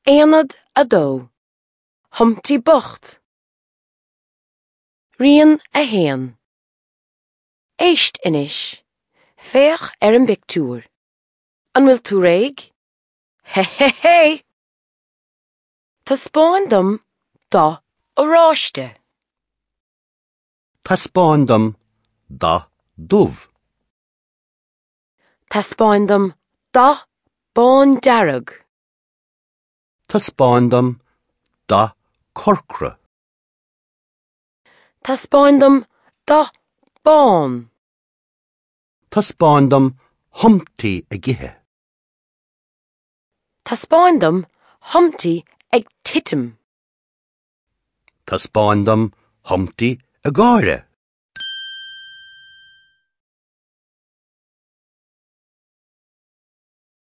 Aonad 2, Humpty Bocht. Rian 1. Éist anois. Féach ar an bpictiúr. An bhfuil tú réidh? Hé hé hé! Taispeáin dom dath oráiste. Taispeáin dom dath dubh. Taispeáin dom dath bándearg. Taispeáin dom dath corcra. Taispeáin dom dath bán. Taispeáin dom Humpty ag ithe. Taispeáin dom Humpty ag titim. Taispeáin dom Humpty ag gáire.